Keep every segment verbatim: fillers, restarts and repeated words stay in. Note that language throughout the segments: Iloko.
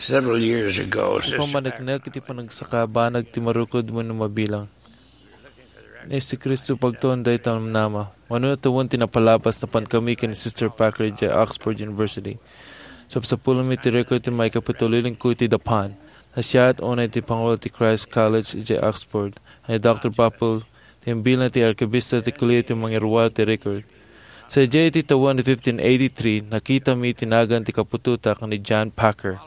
Several years ago, Sister Packer, iti panagsakabanag ti marukod wenno mabilang. Ni Jesu-Cristo pagtuon dayta namnama. Mano tawen ti napalabas, napan kami ken Sister Packer idiay Oxford University. Sapsapulmi ti record ti maikapitulo lingko iti dapan. Nasiat unay ti pangulo ti Christ College idiay Oxford, ni Doctor Papel, ti imbilna ti arkibista ti Colegio ti mangiruar ti record. Sadiay iti tawen fifteen eighty-three, nakitami ti nagan ti kaputota ken ni John Packer.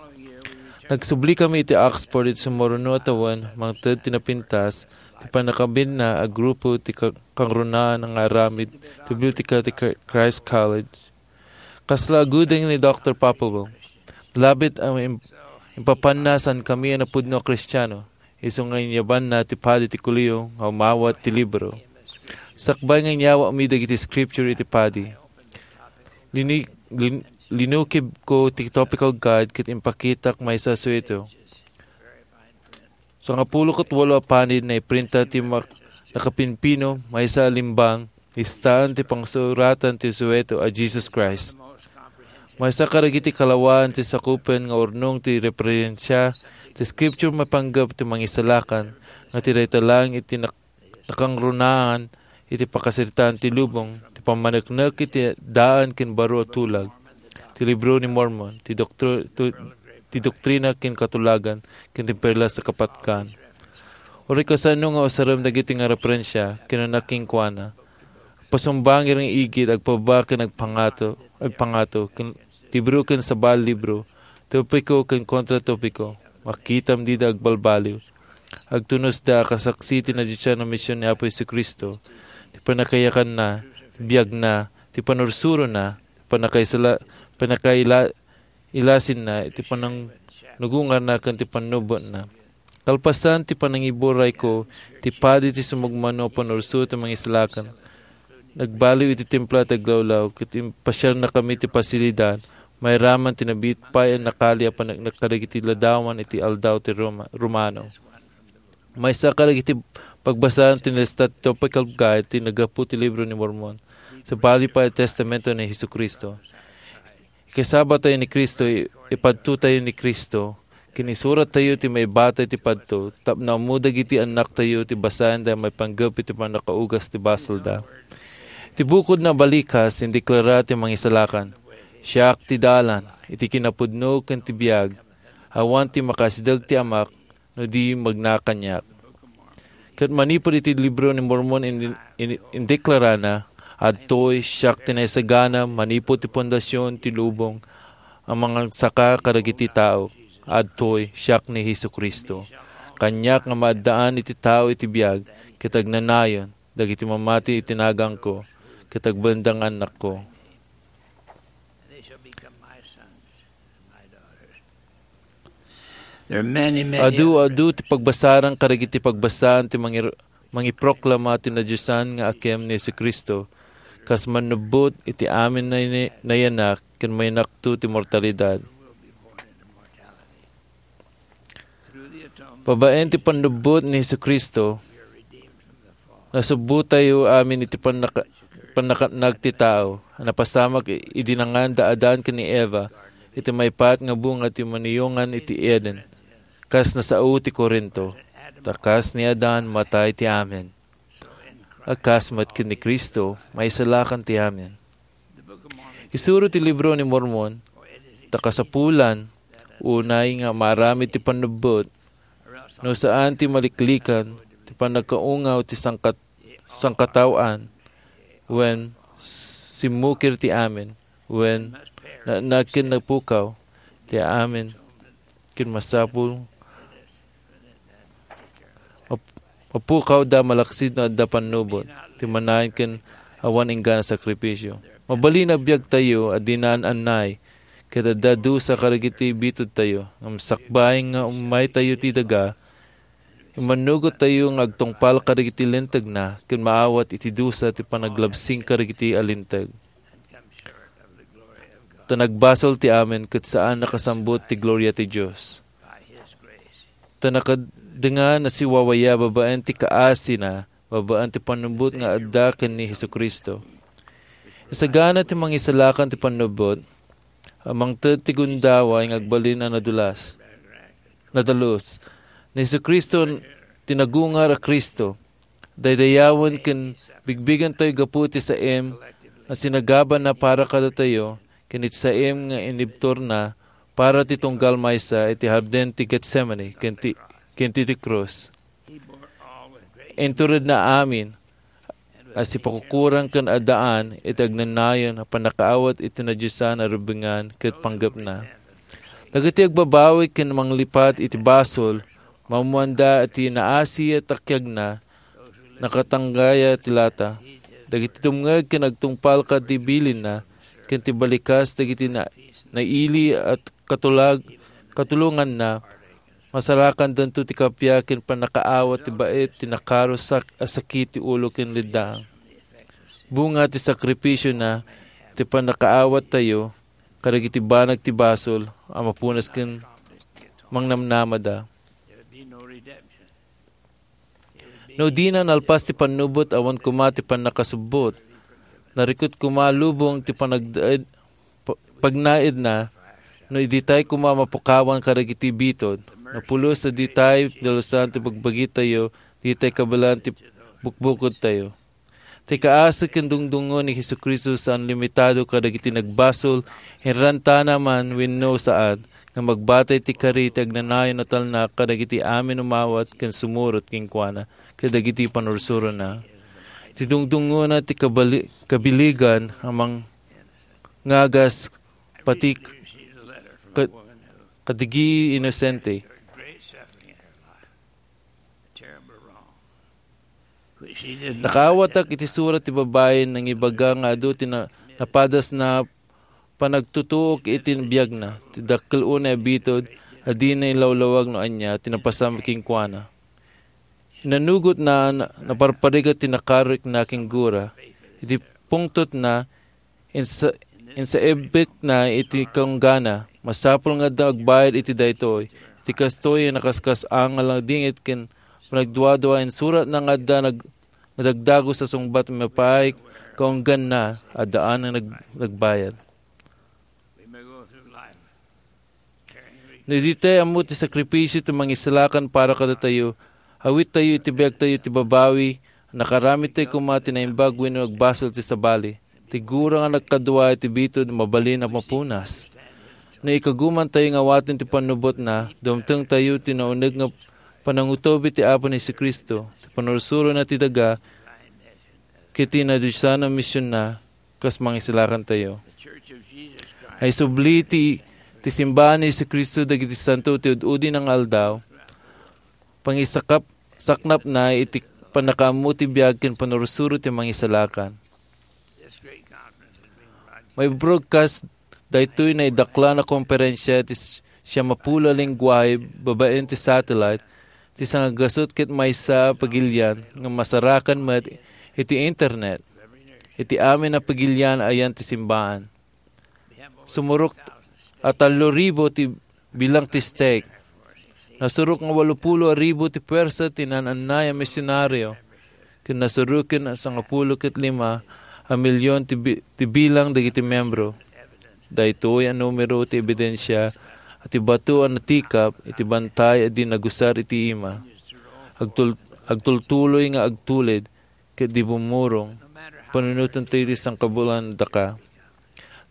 Nagsubli kami iti Oxford iti sumuruno a tawen, mangted ti napintas ti pannakabinna a grupo ti ka-, kangrunaan nga aramid ti biblioteka ti Chr-, Christ College. Kasla agudeng ni Doctor Papelwell. Labit a im-, impapanna saan kami a napudno a Kristiano. Isu nga inyabanna ti padi ti Colegio nga umawat ti libro. Sakbay nga inyawatmi dagiti scripture iti padi, lini-, lin-, linukibko ti topical guide ket impakitak maysa a sueto. Sangapulo ket walo a panid naiprinta ti mak-, nakapimpino, maysa a limbang, listaan ti pangsuratan ti sueto a Jesus Christ. Maysa kadagiti kalawaan ti sakupen nga urnong ti referensia ti Scripture maipanggep ti Mangisalakan nga ti dayta laeng iti nak-, nakangrunaan iti pakasaritaan ti lubong, ti pammaneknek iti daan ken baro a tulag, ti Libro ni Mormon, ti doktri-, tu-, ti doktrina ken katulagan, ken ti perlas a kapatgan. Uray kasano nga usarem dagiti nga referensia, kinuna kenkuana, pasumbangir nga igid, agpababa ken agpangato, agpangato, ken libro ken sabali libro, topiko ken kontratopiko, makitam dida agbalbaliw. Agtunosda a kasaksi ti nadisian a mision ni Apo Jesu-Cristo, ti pannakayakanna, ti biagna, ti panursurona, ti pannakaisala-, pannakaila-, ilasinna, iti panangnugungarna ken ti pannubbotna. Kalpasan ti panangiburayko, ti padi ti sumagmamano a panursuro ti Mangisalakan, nagbaliw iti templo ti aglawlaw, ket impasiarnakami ti pasilidad, mairaman ti nabiit pay a nakali a paneknek kadagiti ladawan iti aldaw ti Roma-, Romano. Maysa kadagiti pagbasaan ti nalista ti topical guide ti naggapu ti Libro ni Mormon, sabali pay a testamento ni Jesu-Cristo. Ikasaba tayo ni Cristo, i-, ipadto tayo ni Cristo, ken isurat tayo ti maibatay ti padto, tapno ammo dagiti annak tayo ti basaen da maipanggep iti pannakaugas ti basolda. Ti bukodna a balikas, indeklara ti Mangisalakan, "Siak ti dalan, iti kinapudno ken ti biag, awan ti makasideg ti Amak, no di magna kaniak." Ket manipud iti Libro ni Mormon, in-, in-, indeklarana, "Adtoy, siak ti naisagana manipud ti fondasion ti lubong a mangagsaka kadagiti tao. Adtoy, siak ni Jesu-Cristo. Kaniak nga maaddaan iti tao iti biag, ket agnanayon dagiti mamati iti naganko, ket agbalin da nga annakko." There are many, many Adu, other adu ti pagbasaran kadagiti pagbasaan ti mangir-, mangiproklama ti nadiosan nga akem ni Jesu-Cristo, kas mannubbot iti amin nay-, nayanak ken mayanakto ti mortalidad. Babaen ti pannubbot ni Jesu-Cristo, nasubbotayo amin iti pannaka-, pannakatnag ti tao. Napasamak i-, idi nangan da Adan ken ni Eva iti maipaat nga bunga ti maniyongan iti Eden, kas nasao ti Corinto. Ta kas ni Adan, matay ti amin. A kas met ken ni Cristo, maisalakan ti amin. Isuro ti Libro ni Mormon, ta kasapulan, unay nga maaramid ti pannubbot, no saan ti maliklikan ti pannakaungaw ti sangkat-, sangkataoan, wen simmukir ti amin, wen na-, nagkin napukaw ti amin, ken masapul map-, mapukawda malaksid no adda pannubot ti manayon ken awan inggana sakripisio. Mabalin a biagtayo a dinan annay, ket adda dusa kadagiti bitudtayo. Ngem sakbay nga ummaytayo ti daga, immannugottayo nga agtungpal kadagiti lintegna ken maawat iti dusa ti panaglabsing kadagiti a linteg. Ta nagbasol ti amin ket saan nakasambut ti gloria ti Dios. Ta nakadengan a siwawaya babaen ti kaasina, babaen ti pannubbot nga adda ken ni Jesu-Cristo. Isagana ti mangisalakan ti pannubbot, a mangted ti gundaway nga agbalin a nadulas. nadalus. Ni Jesu-Cristo ti nagungar a Cristo. Daydayawen ken bigbigentayo gapu ti saem a sinagabana para kadatayo ken iti saem nga inibturna para ti tunggal maysa iti Hardin ti Getsemani ken ti, ken ti, ti krus. Inturedna amin a sipakukurang ken addaan iti agnanayon a pannakaawat iti nadiosan a rubengan ket panggepna. Dagiti agbabawi ken manglipat iti basol, maammoanda ti naasi a takiagna, nakatanggaya ti lata. Dagiti dumngeg ken agtungpal kadagiti bilinna, ken ti balikas dagiti na-, naili a katulag-, katulonganna, masarakandanto ti kappia ken pannakaawat ti bait ti nakaro sak-, a sakit ti ulo ken leddang. Bunga ti sakripisiona ti pannakaawattayo kadagiti banag ti basol a mapunas ken mangnamnamada. No dina nalpas ti pannubot, awan koma ti pannakasubbot. Narikut koma lubong ti panagdaed-, pa-, pagnaedna, no ditay koma mapukawan kadagiti bitud. No pulos a ditay dalusan ti bagbagitayo, ditay kabaelan ti bukbukodtayo. Ti kaasi ken dungdungngo ni Jesu-Cristo saan limitado kadagiti nagbasol, inrantana man wenno saan, nga magbatay ti kari ti agnanayon a talna kadagiti amin umawat ken sumurot kenkuana kadagiti panursurona. Ti dungdungngona ti kabali-, kabiligan a mangngagas pati k-, ka-, kadagiti inosente. Nakaawatak iti surat ti babai nangibaga nga adu ti na-, napadasna panagtutuok iti biagna. Ti dakkel unay a bitud a dina ilawlawag no ania ti napasam kenkuana. Inanugotna, na-, naparparigat ti nakarikna ken gura. Iti pungtotna, insa-, insaibekna iti kaunggana. Masapul nga adda agbayad iti daytoy. Iti kastoy, nakaskas-ang nga langdingit ken panagduadua, insuratna nga adda nag-, nadagdagus a sungbat maipaay kaungganna, addaan nga nag-, nagbayad. No idi tayo ammo ti sakripisio ti mangisalakan para kadatayo, awittayo iti biagtayo ti babawi, nakaramidtayo koma ti naimbag wenno agbasol ti sabali. Ti gura nga nagkadua iti bitud, mabalin a mapunas. No ikagumantayo nga awaten ti pannubotna, dumtengtayo ti nauneg nga panangutob iti Apo ni Jesu-Cristo, ti panursurona ti daga, ket ti nadiosan a misionna, kas mangisalakantayo. Ay subli ti, ti simbaan ni Jesu-Cristo dagiti santo ti ud-udi nga aldaw, pangisakap-, saknapna iti pannakaammo ti biag ken panursuro ti mangisalakan. Mai-broadcast daytoy naidaklan a komperensia iti s-, siamapulo a lengguahe babaen ti satellite, ti sangagasut ket maysa a pagilian nga masarakan met iti internet. Iti amin a pagilian ayan ti simbaan. Sumurok a tallo ribu ti bilang ti stake. Nasurok nga walopulo a ribu ti puwersa ti naan-annay a misionario, ken nasuroken a sangapulo ket lima a milion ti bi-, ti bilang dagiti membro. Daytoy a numero ti ebidensia a ti bato a natikap iti bantay a di nagusar iti ima. Agtul-, agtultuloy nga agtulid ket di bumurong, panunoten ti sangkabulan daka.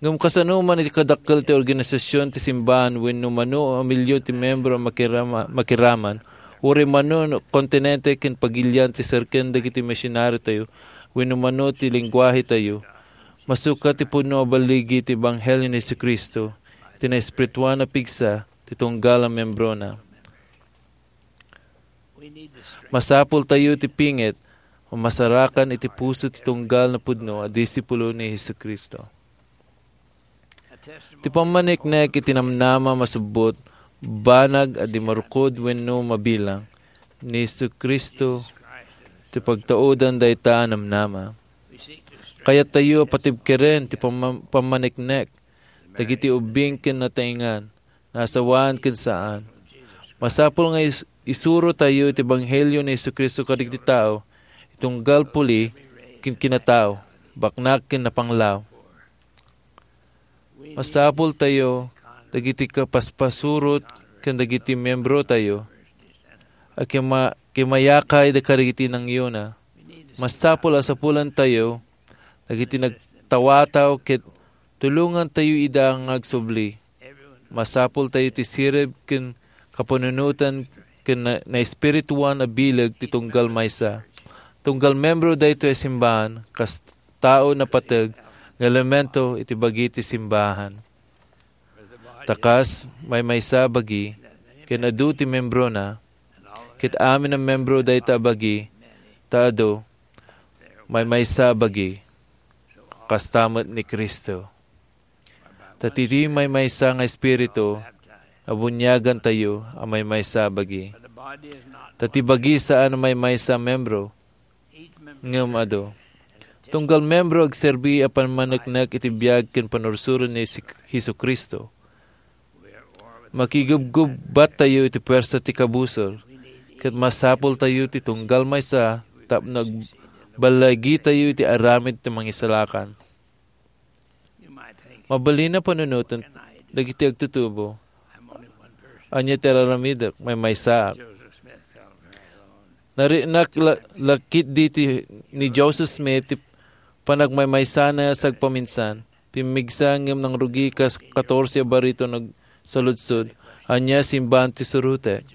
Ngem kasano man iti kadakkel ti organisasion ti simbaan wenno mano a milyon ti membro a makirama-, makiraman, uray mano no kontinente ken pagilian ti serken dagiti misionariotayo wenno mano ti lengguahetayo, masukat ti pudno a balligi ti ebanghelio ni Jesu-Cristo, ti naespirituan a pigsa ti tunggal a membrona. Masapultayo ti pinget a masarakan iti puso ti tunggal a pudno a disipulo ni Jesu-Cristo. Ti pammaniknek iti namnama masubbot, banag a di marukod wenno mabilang, ni Jesu-Cristo ti pagtaudan dayta a namnama. Kayattayo a patibkeren ti pamma-, pammaniknek dagiti ubbing ken nataengan, naasawaan ken saan. Masapul nga is-, isurotayo ti ebanghelio ni Jesu-Cristo kadagiti tao, itunggal puli ken kinatao, baknak ken napanglaw. Masapultayo dagiti kapaspasurot ken dagiti miembrotayo a kima-, kimayakay da kadagiti nangyona. Masapul a sapulantayo dagiti nagtawataw ket tulongantayo ida nga agsubli. Masapultayo ti sirib ken kapanunotan ken na-, naespirituan a bileg ti tunggal maysa. Tunggal membro daytoy a simbahan, kas tao napateg nga elemento iti bagi ti simbahan. Ta kas maymaysa a bagi, ken adu ti membrona, ket amin a membro dayta a bagi, ta adu, maymaysa a bagi, kasta met ni Cristo. Ta ti maymaysa nga Espiritu, abuniagantayo a maymaysa a bagi. Ta ti bagi saan a maymaysa a membro, ngem adu. Tunggal membro agserbi a pammaneknek iti biag ken panursuro ni Jesu-, Jesu-Cristo. Makigubgubbattayo iti puwersa ti kabusor, ket masapultayo ti tunggal maysa tapno agballagitayo iti aramid ti mangisalakan. Mabalin a panunoten dagiti agtutubo. Ania ti ar-aramidek? Maymaysaak. Narinak la-, la ketdi ti ni Joseph Smith ti panagmaymaysana sagpaminsan. Pimmigsa ngem nangrugi kas katorse a barito nagsaludsod. Ania, simbahan ti surotek.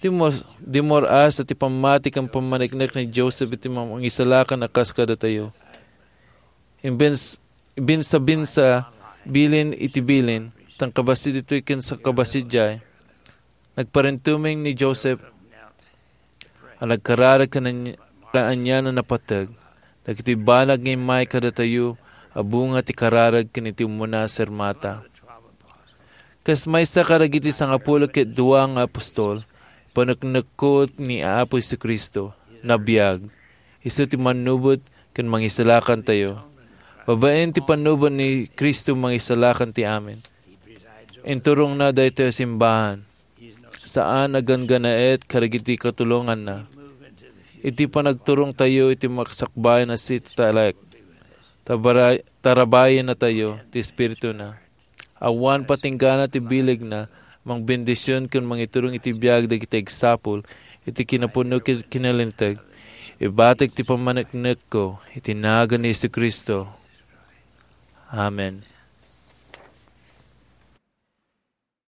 Di mor-, di mor-as ti pammati ken pammaneknek ni Joseph iti mangisalakan a kas kadatayo. Imbens-, binsabinsa, bilin iti bilin, tan kabasi ditoy ken sa-, kabasi diay. Nagparintumeng ni Joseph a nagkararag ken ania-, ken anian a napateg, dagiti banag nga immay kadatayo a bunga ti kararag ken iti umuna a sirmata. Kas maysa kadagiti sangapulo ket dua nga apostol, paneknekko ni Apo Jesu-Cristo, nabiag. Isu ti mannubot ken mangisalakantayo. Babaen ti pannubot ni Cristo, mangisalakan ti amin. Inturongna daytoy a simbahan. Saan a ganggannaet kadagiti katulonganna. Iti panagturongtayo iti makasakbayan a sitatalek, tabara-, tarabayennatayo ti Espirituna. Awan patinggana ti bilegna, mangbendision ken mangiturong iti biag dagiti agsapul iti kinapudno ken kinalinteg. Ibatek ti pammaneknekko iti nagan ni Jesu-Cristo. Amen.